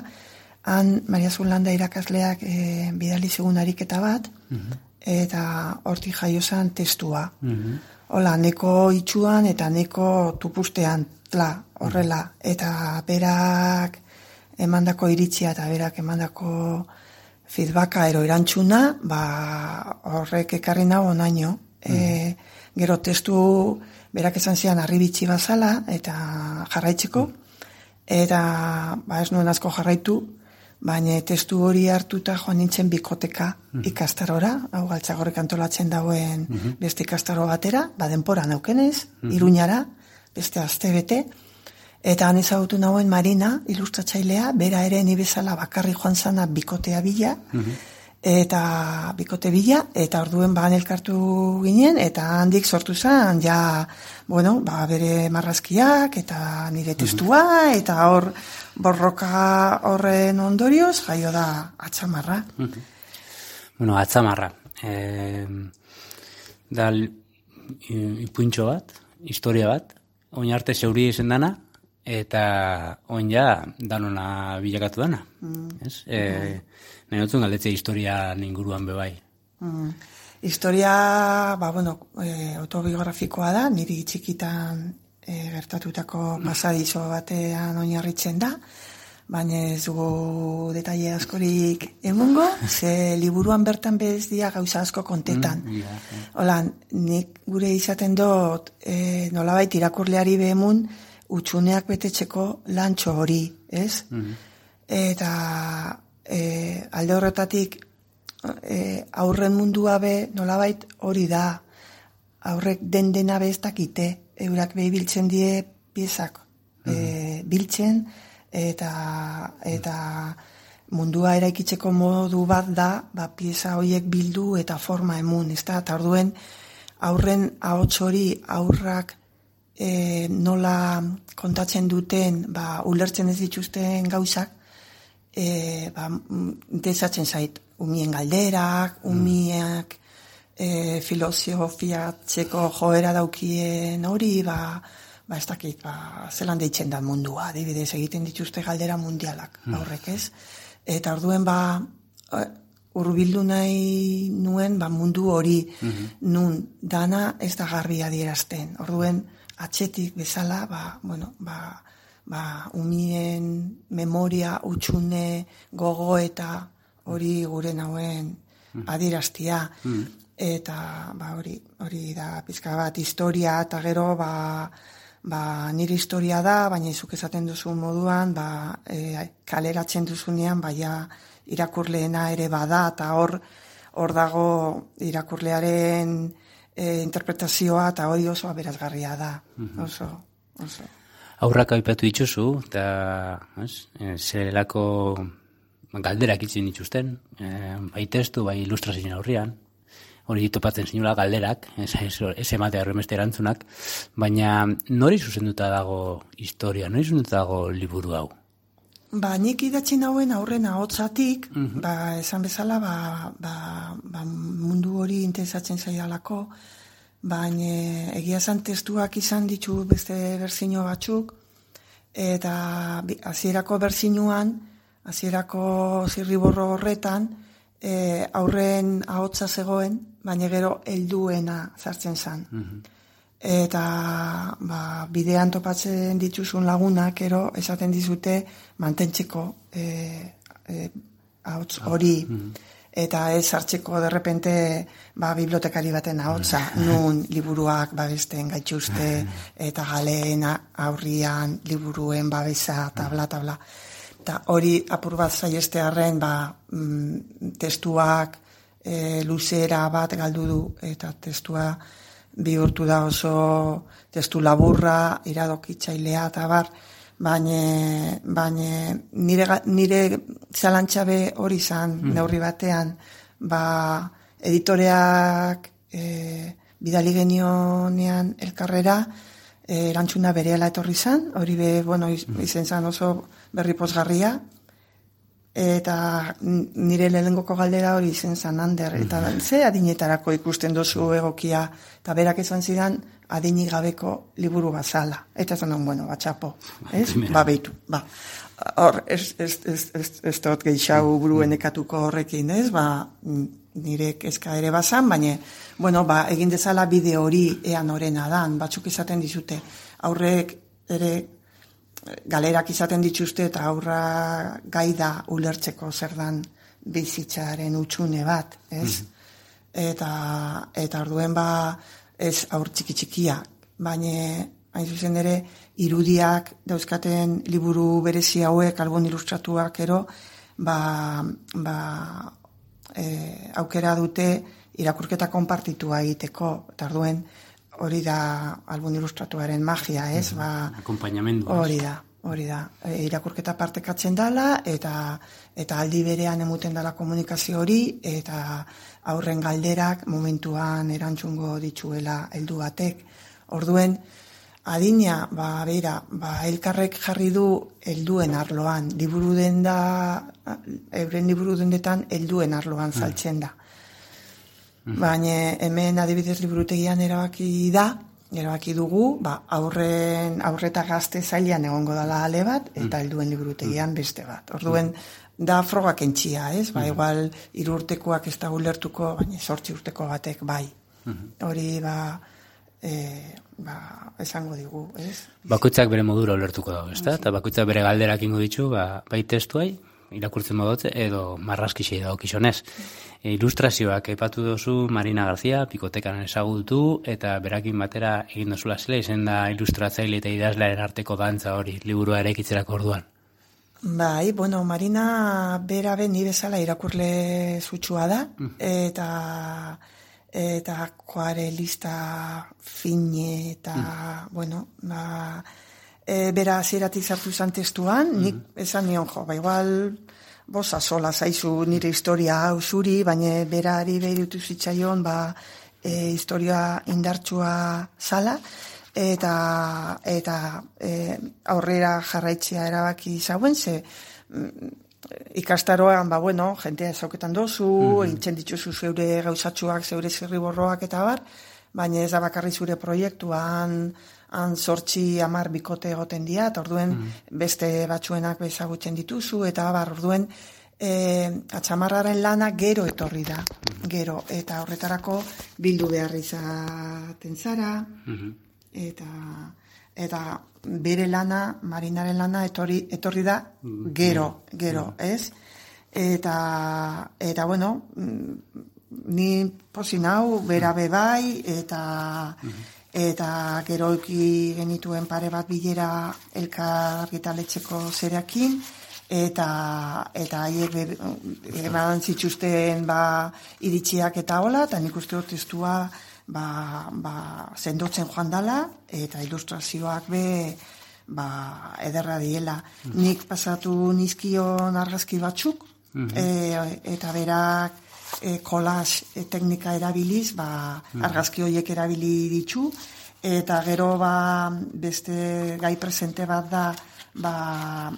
han Maria Zulanda irakasleak e, bidali zigun ariketa bat, mm-hmm. eta hortik jaiozan testua. Mm-hmm. Hola, neko itxuan eta neko tupustean, tla, horrela, eta berak emandako iritzia eta berak emandako feedbacka ero erantzuna, ba, horrek ekarri nago onaino. Mm-hmm. E, gero testu berak esan zian arribitzi bazala eta jarraitzeko, eta ba, ez nuen asko jarraitu, baina testu hori hartuta joan nintzen bikoteka mm-hmm. ikastarora, hau Galtzagorrik antolatzen dauen mm-hmm. beste ikastaro batera, ba denpora naukenez, mm-hmm. Iruñara, beste aste bete, eta han ezagutu nauen Marina, ilustratzailea, bera ere ni bezala bakarri joan zana bikotea bila, mm-hmm. eta bikote bila, eta orduen bagan elkartu ginen, eta handik sortu zen, ja, bueno, ba, bere marrazkiak, eta nire testua, mm-hmm. eta hor, borroka horren ondorioz, jaio da atzamarra. Mm-hmm. Bueno, atzamarra. Eh, da ipuintxo bat, historia bat, oin arte zeuri izen dana, eta oin ja danona bilakatu dana. Mm. Ez? Eh, nahi notzun galdetzea historia inguruan bebai. Mm. Historia, ba, bueno, e, autobiografikoa da, niri txikitan e, gertatutako pasadizo batean oinarritzen da, baina ez dugu detaile askorik emungo, ze liburuan bertan bez dia gauza asko kontetan. Mm, yeah, yeah. Hola, nik gure izaten dut e, nolabait irakurleari behemun utxuneak betetzeko lantxo hori, ez? Mm-hmm. Eta e, alde horretatik e, aurren mundua be nolabait hori da, aurrek den dena be ez dakite, eurak behi biltzen die piezak mm-hmm. e, biltzen, eta eta mundua eraikitzeko modu bat da, ba, pieza horiek bildu eta forma emun, ez da? Eta orduen aurren ahots hori aurrak e, nola kontatzen duten, ba, ulertzen ez dituzten gauzak, e, ba, interesatzen zait, umien galderak, umiak e, filosofiatzeko joera daukien hori, ba, ba ez dakit, ba, zelan deitzen da mundua, adibidez egiten dituzte galdera mundialak, mm. aurrek ez. Eta orduen, ba, hurbildu nahi nuen, ba, mundu hori, mm-hmm. nun dana ez da garbi adierazten. Orduen, atxetik bezala, ba, bueno, ba, ba, umien memoria, utxune, gogo eta hori gure nauen adieraztia. Mm. Eta, ba, hori, hori da pizka bat historia, eta gero, ba, ba, nire historia da, baina izuk esaten duzu moduan, ba, e, kaleratzen duzunean, baina irakurleena ere bada, eta hor, hor dago irakurlearen e, interpretazioa, eta hori oso aberazgarria da, mm-hmm. oso, oso. Aurrak aipatu dituzu, eta e, zerelako galderak itzen dituzten, e, bai testu, bai ilustrazioen aurrian, hori topatzen zinula galderak, ez, ez, ez ematea horremeste erantzunak, baina nori zuzenduta dago historia, nori zuzenduta dago liburu hau? Ba, nik idatzi nauen aurren ahotsatik, mm-hmm. ba, esan bezala, ba, ba, ba, mundu hori interesatzen zaidalako, baina egia zan testuak izan ditu beste berzino batzuk, eta hasierako berzinuan, hasierako zirriborro horretan, e, aurren ahotsa zegoen, baina gero helduena sartzen zan. Mm-hmm. Eta ba, bidean topatzen dituzun lagunak, ero esaten dizute mantentzeko e, e, ahots hori. Mm-hmm. Eta ez hartzeko derrepente ba, bibliotekari baten ahotsa, nun liburuak babesten gaituzte, eta galeen aurrian liburuen babesa, tabla, tabla. Eta hori apur bat zaiestearen ba, mm, testuak e, luzera bat galdu du, eta testua bihurtu da oso testu laburra, iradokitzailea, eta bar, baina baina nire, nire zalantxabe hori izan, mm. neurri batean, ba, editoreak e, bidali genionean elkarrera, e, erantzuna berehala etorri izan, hori be, bueno, iz, izen zan oso berri pozgarria, eta nire lehengoko galdera hori izen zan, Ander, eta ze adinetarako ikusten dozu egokia, eta berak esan zidan, adinik gabeko liburu bazala. Eta esan non, bueno, batxapo, ez? Ba, behitu, ba. Hor, ez, ez, ez, ez, ez dut gehiago buruen ekatuko horrekin, ez? Ba, nire kezka ere bazan, baina, bueno, ba, egin dezala bide hori ean horrena dan, batzuk izaten dizute, aurrek ere galerak izaten dituzte eta aurra gaida ulertzeko zer dan bizitzaren utxune bat, ez? Mm-hmm. Eta, eta orduen ba, ez aur txiki txikia, baina hain zuzen ere irudiak dauzkaten liburu berezi hauek, album ilustratuak ero, ba, ba e, aukera dute irakurketa konpartitua egiteko, eta orduen hori da album ilustratuaren magia, ez? Ba, akompainamendu. Hori da, hori da. E, irakurketa partekatzen dala, eta, eta aldi berean emuten dala komunikazio hori, eta aurren galderak momentuan erantzungo ditzuela heldu batek. Orduen, adina, ba, beira, ba, elkarrek jarri du helduen arloan, liburu denda, euren liburu dendetan helduen arloan saltzen da. Baina hemen adibidez liburutegian erabaki da, erabaki dugu, ba, aurren, aurreta gazte zailean egongo dala ale bat, eta helduen liburutegian beste bat. Orduen, da frogak entxia, ez? Ba, igual, hiru urtekoak ez da ulertuko, baina sortzi urteko batek bai. Hori, ba, e, ba, esango digu, ez? Bakoitzak bere modura ulertuko dago, ez da? Eta bakoitzak bere galderak ingo ditu, ba, bai testuai, irakurtzen modotze, edo marraskixei dago kixonez. E, ilustrazioak aipatu dozu Marina García, Pikotekan ezagutu, eta berakin batera egin dozula zela, izen da ilustratzaile eta idazlearen arteko dantza hori, liburua eraikitzerako orduan. Bai, bueno, Marina bera ben ni bezala irakurle zutsua da, eta eta akuarelista fine, eta, mm. bueno, ba, e, bera hasieratik sartu izan testuan, nik mm. esan nion jo, ba, igual, bosa sola zaizu nire historia hau zuri, baina berari behirutu zitzaion, ba, e, historia indartsua zala, eta eta e, aurrera jarraitzea erabaki zauen, ze mm, ikastaroan, ba, bueno, jentea ezauketan dozu, mm-hmm. egiten dituzu zeure gauzatxuak, zeure zirriborroak eta bar, baina ez da bakarri zure proiektuan, han sortzi amar bikote egoten dira, eta orduen mm-hmm. beste batzuenak bezagutzen dituzu, eta bar, orduen e, atxamarraren lana gero etorri da, gero, eta horretarako bildu behar izaten zara, mm-hmm. eta eta bere lana, Marinaren lana etorri, etorri da gero, gero, ez? Eta, eta bueno, ni pozin hau, bera bebai, eta eta gero eki genituen pare bat bilera elkar argitaletxeko zerekin, eta eta haiek eman zituzten ba, iritziak eta hola, eta nik uste dut testua ba, ba, sendotzen joan dala, eta ilustrazioak be ba, ederra diela. Mm-hmm. Nik pasatu nizkion argazki batzuk, mm-hmm. e, eta berak e, kolaz e, teknika erabiliz, ba, mm-hmm. argazki horiek erabili ditu, eta gero ba, beste gai presente bat da, ba,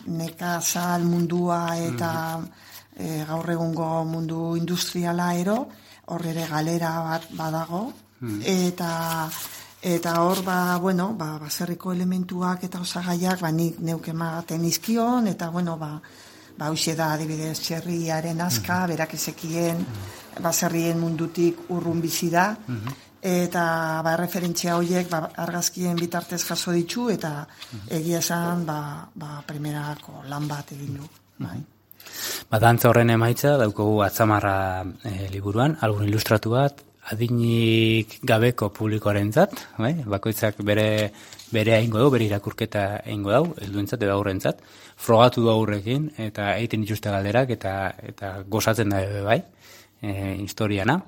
nekazal mundua eta mm-hmm. e, gaur egungo mundu industriala ero, hor ere galera bat badago, eta eta hor ba bueno ba baserriko elementuak eta osagaiak ba nik neuk ematen izkion, eta bueno ba ba hoxe da adibidez txerriaren aska, mm-hmm. berak ezekien mm-hmm. baserrien mundutik urrun bizi da, mm-hmm. eta ba referentzia horiek ba, argazkien bitartez jaso ditu, eta mm-hmm. egia esan ba ba primerako lan bat egin du, bai. Ba, dantza horren emaitza daukogu Atzamarra e, liburuan, album ilustratu bat, adinik gabeko publikoarentzat, bai? Bakoitzak bere bere eingo du, bere irakurketa eingo dau, helduentzat edo aurrentzat, frogatu du aurrekin eta egiten dituzte galderak eta eta gozatzen da bai, e, historiana.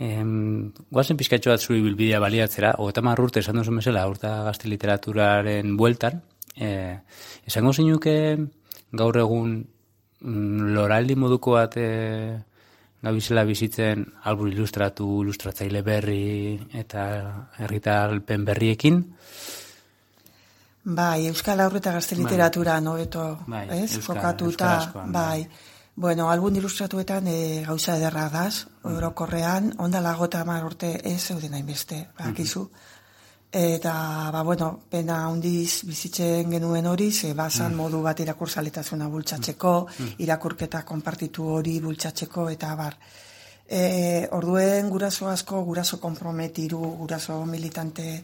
Em, goazen pizkatxo bat zuri bilbidea baliatzera, hogeita hamar urte esan duzu mesela, urta gazte literaturaren bueltan, E, esango zeinuke gaur egun mm, loraldi moduko bat e, gabizela bizitzen albur ilustratu, ilustratzaile berri eta herritarpen berriekin? Bai, Euskal Haur eta Gazte Literatura bai. Nobeto, bai, ez? Euskal, Kokatuta, bai. Bueno, albun ilustratuetan e, gauza ederra daz, mm. orokorrean, ondala gota hamar urte ez zeuden hainbeste, bakizu. Mm-hmm. Eta, ba, bueno, pena handiz bizitzen genuen hori, ze bazan mm. modu bat irakurzaletasuna bultzatzeko, mm. irakurketa konpartitu hori bultzatzeko, eta bar. E, orduen guraso asko, guraso konprometiru, guraso militante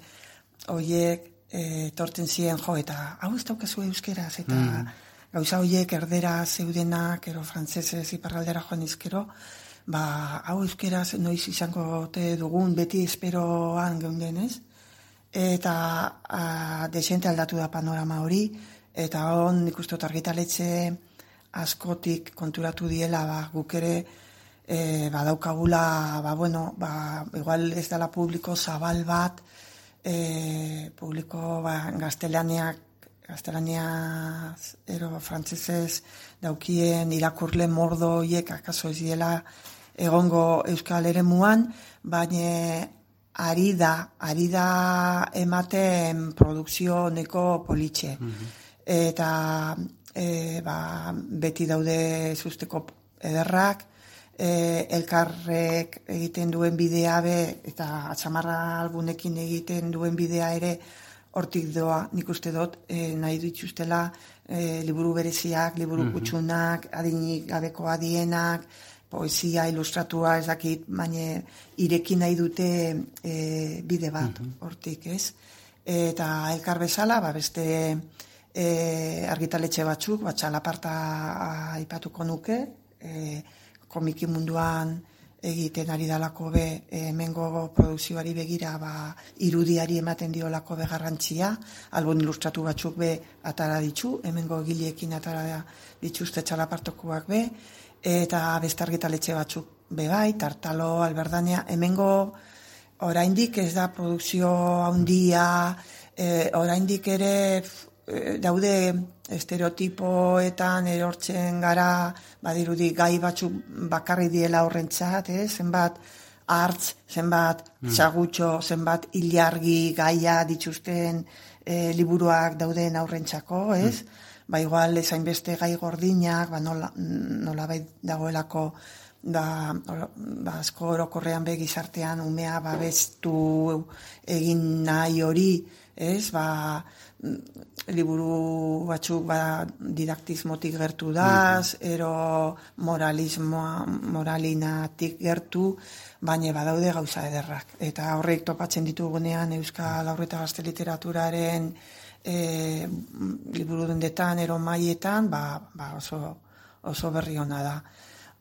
horiek e, torten ziren jo, eta hau ez daukazu euskeraz, eta mm. gauza horiek erdera zeudenak, ero frantzesez iparraldera joan izkero, ba, hau euskeraz noiz izango te dugun, beti esperoan geunden ez, eta a, desente aldatu da panorama hori, eta hon nik uste argitaletxe askotik konturatu diela, ba, guk ere e, badaukagula, ba, bueno, ba, igual ez dela publiko zabal bat, e, publiko ba, gaztelaniak, gaztelaniaz, ero frantzesez daukien irakurle mordo hiek akaso ez diela egongo euskal eremuan, baina ari da, ari da ematen produkzio neko politxe. Mm-hmm. Eta e, ba, beti daude zuzteko ederrak, e, elkarrek egiten duen bidea be, eta atxamarra albunekin egiten duen bidea ere hortik doa, nik uste dut, e, nahi dituztela e, liburu bereziak, liburu mm-hmm. kutsunak, adinik gabeko adienak, poesia, ilustratua, ez dakit, baina ireki nahi dute e, bide bat, hortik, ez? Eta elkar bezala, ba, beste e, argitaletxe batzuk, bat txalaparta aipatuko nuke, e, komiki munduan egiten ari dalako be, e, hemengo produkzioari begira, ba, irudiari ematen diolako be garrantzia, albun ilustratu batzuk be atara ditzu, hemengo gileekin atara dituzte txalapartokoak be, eta beste argitaletxe batzuk bebai, Tartalo, Alberdania, hemengo oraindik ez da produkzio handia, e, oraindik ere e, daude estereotipoetan erortzen gara, badirudi gai batzuk bakarri diela horrentzat, eh? Zenbat hartz, zenbat mm. txagutxo, zenbat ilargi gaia dituzten e, liburuak dauden aurrentzako, ez? Mm. Ba igual ezain beste gai gordinak, ba nola, nola bai dagoelako da, ba, asko orokorrean be gizartean umea babestu egin nahi hori, ez, ba, liburu batzuk ba, didaktismotik gertu daz, mm-hmm. ero moralismoa, moralinatik gertu, baina badaude gauza ederrak. Eta horrek topatzen ditugunean Euskal Haur eta Gazte Literaturaren E, liburu dendetan, ero maietan, ba, ba oso, oso berri hona da.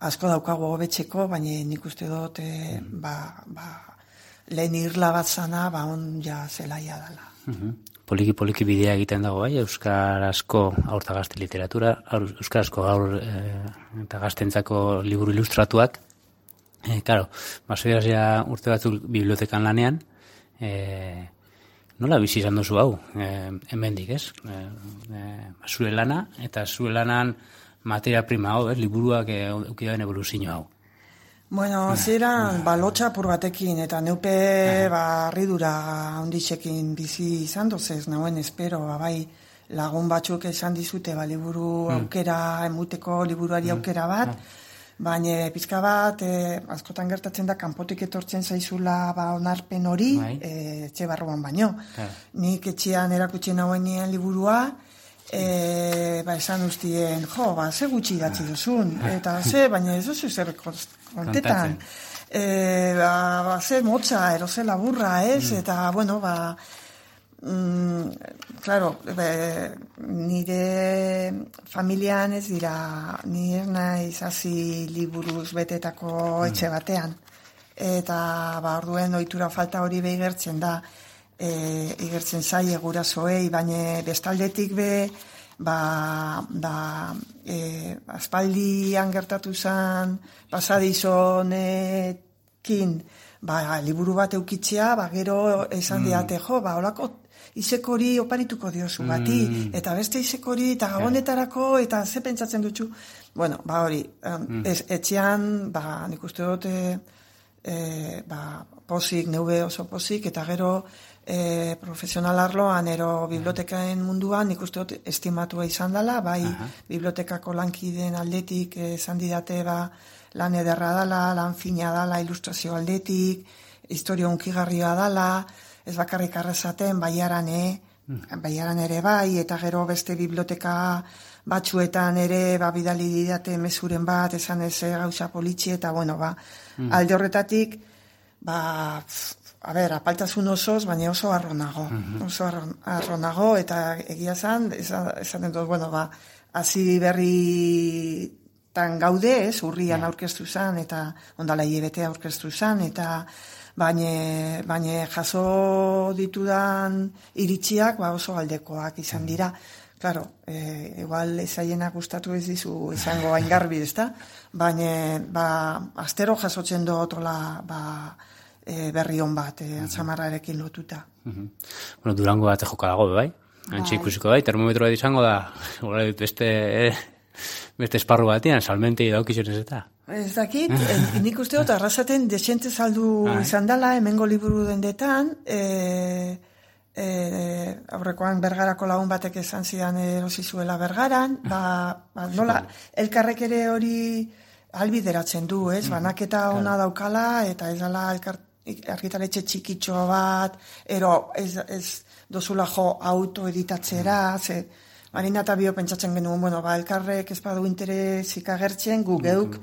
Asko daukago hobetzeko, baina nik uste dut e, ba, ba, lehen irla bat zana, ba on ja zelaia dela. Uh-huh. Poliki-poliki bidea egiten dago, bai, euskarazko haur eta gazte literatura, euskarazko haur e, eta gaztentzako liburu ilustratuak. E, claro, basoiazia urte batzuk bibliotekan lanean, e, nola bizi izan duzu hau, e, hemendik, ez? E, e, zure lana, eta zure lanan materia prima hau, ez? Liburuak eukidaren evoluzio hau. Bueno, ziren, ba, lotxa apur batekin, eta neupe, ba, arridura onditxekin bizi izan dozez, nauen espero, ba, bai, lagun batzuk esan dizute, ba, liburu aukera, emuteko liburuari aukera bat, baina pizka bat, e, askotan gertatzen da, kanpotik etortzen zaizula ba, onarpen hori, e, etxe barruan baino. Yeah. Nik etxean erakutsi nagoenean liburua, e, ba, esan ustien, jo, ba, ze gutxi idatzi duzun, eta ze, baina ez duzu zer kontetan. E, ba, ba, ze motza, ero ze laburra, ez, mm. eta, bueno, ba, Mm, claro, be, nire familian ez dira, ni ez naiz hasi liburuz betetako mm. etxe batean. Eta ba, orduen ohitura falta hori behigertzen da, e, igertzen zaie gurasoei, baina bestaldetik be, ba, ba, e, aspaldian gertatu zen pasadizonekin, ba, liburu bat eukitzea, ba, gero esan diate, jo, ba, holako izekori oparituko diozu bati, mm. eta beste izekori, eta gabonetarako, eta ze pentsatzen dutxu. Bueno, ba hori, mm. ez, etxean, ba, nik uste dut, e, ba, pozik, neube oso pozik, eta gero e, profesional arloan, ero bibliotekaen munduan, nik uste dut estimatua izan dela, bai, uh-huh. bibliotekako lankideen aldetik, esan didate, ba, lan ederra dela, lan fina dela, ilustrazio aldetik, historia unkigarria dela, ez bakarrik arrasaten, baiaran, eh? Mm. baiaran ere bai, eta gero beste biblioteka batzuetan ere, ba, bidali didate mezuren bat, esan ez gauza politxi, eta bueno, ba, mm. alde horretatik, ba, a ber, apaltasun osoz, baina oso arronago, mm-hmm. oso arronago, eta egia zan, esaten dut, bueno, ba, hasi berri tan gaude, ez, urrian yeah. aurkeztu zan, eta ondala hilabete aurkeztu zan, eta baina baina jaso ditudan iritziak ba oso aldekoak izan dira. Claro, eh, igual ezaiena gustatu ez dizu izango hain garbi, ezta? Baina ba, astero jasotzen dotola ba, e, berri on bat, e, atzamarrarekin lotuta. Uh-huh. Bueno, Durango bat joka dago, bai? Antxe ikusiko bai, termometroa izango da, beste, eh, beste esparru batean, salmentei daukizionez eta. Ez dakit, nik uste dut, arrasaten desente saldu izan dela, hemengo liburu dendetan, e, e, aurrekoan Bergarako lagun batek esan zidan erosi zuela Bergaran, ba, ba nola, elkarrek ere hori albideratzen du, ez, banaketa ona daukala, eta ez dala argitaletxe txikitxo bat, ero ez, ez dozula jo autoeditatzera, ze, Marina eta bio pentsatzen genuen, bueno, ba, elkarrek ez badu interesik agertzen, gu geuk,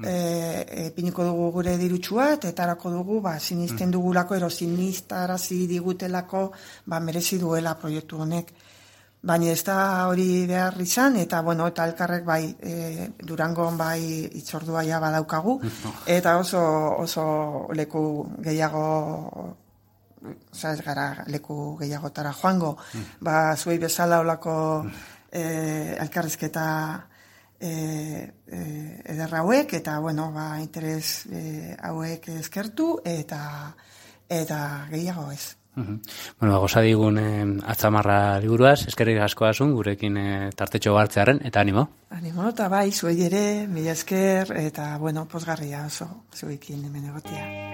e, e, piniko dugu gure dirutxua, eta etarako dugu, ba, sinisten dugulako, ero sinistarazi digutelako, ba, merezi duela proiektu honek. Baina ez da hori behar izan, eta, bueno, eta elkarrek bai, e, Durangon bai itzordua ja badaukagu, eta oso, oso leku gehiago, oza, ez gara leku gehiagotara joango, mm. ba, zuei bezala olako eh, elkarrizketa eh, eh, ederra hauek, eta, bueno, ba, interes eh, hauek eskertu, eta eta gehiago ez. Uh-huh. Bueno, goza digun eh, atzamarra liburuaz, eskerrik asko asun, gurekin eh, tartetxo hartzearen, eta animo. Animo, eta bai, zuei ere, mila esker, eta, bueno, pozgarria oso, zuekin hemen egotea.